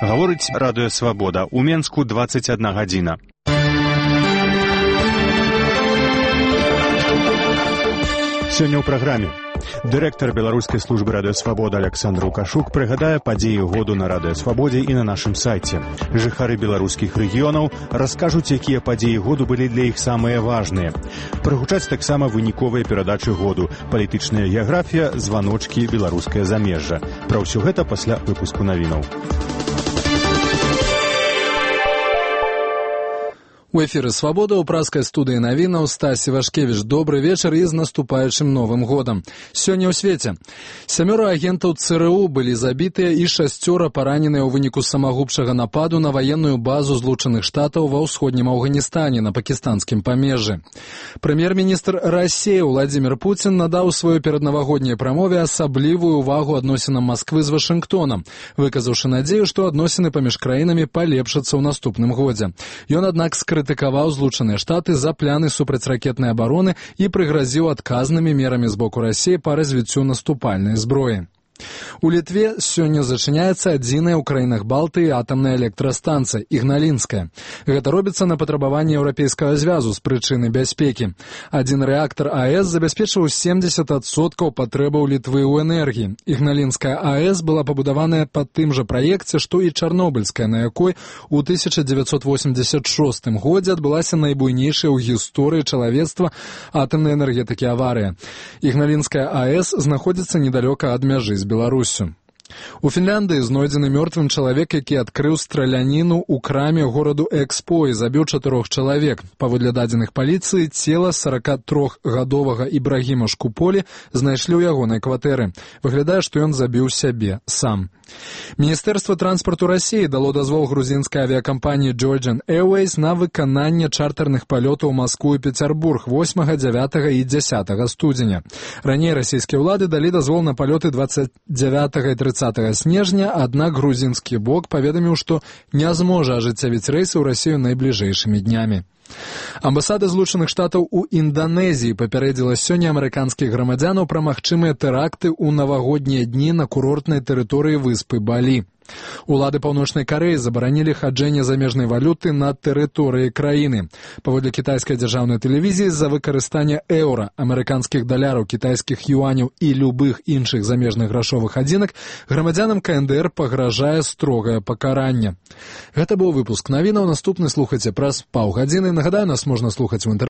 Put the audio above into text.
Гаворыць радыё «Свабода». У Менску 21 гадзіна. Сёння ў праграме. Дырэктар беларускай службы радыё «Свабода» Александр Лукашук прыгадае падзеі году на радыё «Свабодзе» і на нашым сайце. Жыхары беларускіх рэгіёнаў раскажуць, якія падзеі году былі для іх самыя важныя. Прагучаць таксама выніковыя перадачы году, палітычная геаграфія, званочкі, беларускае замежжа. Пра ўсё гэта пасля выпуску навінаў. У эфіры «Свабода» ў праскай студыі навінаў Стась Івашкевіч. Добры вечар і з наступаючым Новым годам. Сёння ў свеце 7 агентаў ЦРУ былі забітыя і 6 параненыя ў выніку самагубчага нападу на ваенную базу Злучаных Штатаў ва ўсходнім Афганістане на пакістанскім памежжы. Прэм'ер-міністр Расіі Владзімір Пуцін надаў сваёй пераднавагодняй прамове асаблівую ўвагу адносінам Масквы з Вашынгтонам, выказаўшы надзею, што адносіны паміж краінамі палепшацца ў наступным годзе. Ён, аднак, крытыкаваў Злучаныя Штаты за пляны супрацьракетнай абароны і прыгразіў адказнымі мерамі з боку Расіі па развіццю наступальнай зброі. У Літве сёння зачыняецца адзіная ў краінах Балтыі атамная электрастанцыя Ігналінская. Гэта робіцца на патрабаванне Еўрапейскага звязу з прычыны бяспекі. Адзін рэактар АЭС забяспечваў 70% патрэбаў Літвы ў энергіі. Ігналінская АЭС была пабудаваная па тым жа праекце, што і Чарнобыльская, на якой у 1986 годзе адбылася найбуйнейшая ў гісторыі чалавецтва атамнай энергетыкі аварыя. Ігналінская АЭС знаходзіцца недалёка ад мяжы з Беларусю. У Фінляндыі знойдзены мёртвым чалавек, які адкрыў страляніну ў краме гораду Экспо і забіў 4 чалавек. Паводле дадзеных паліцыі, цела 43-гадовага Ібрагіма Шкуполі знайшлі ў ягонай кватэры. Выглядае, што ён забіў сябе сам. Міністэрства транспарту Расіі дало дазвол грузінскай авіякампаніі Georgian Airways на выкананне чартэрных палётаў у Маскву і Пецярбург 8, 9 і 10 студзеня. Раней расійскія ўлады далі дазвол на палёты 29 і 30 снежня, аднак грузінскі бок паведаміў, што не зможа ажыццявіць рэйсы ў Расію найбліжэйшымі днямі. Амбасада Злучаных Штатаў у Інданезіі папярэдзіла сёння амерыканскіх грамадзянаў пра магчымыя тэракты ў навагоднія дні на курортнай тэрыторыі выспы Балі. Улады Паўночнай Карэі забаранілі хаджэнне замежнай валюты на тэрыторыі краіны. Паводле кітайскай дзяржаўнай тэлевізіі з-за выкарыстання еўра, амерыканскіх даляраў, кітайскіх юаняў і любых іншых замежных грашовых адзінак грамадзянам КНДР пагражае строгае пакаранне. Гэта быў выпуск навінаў. Наступны слухайце праз паўгадзіны. Нагадаю, нас можна слухаць у інтэрнэце.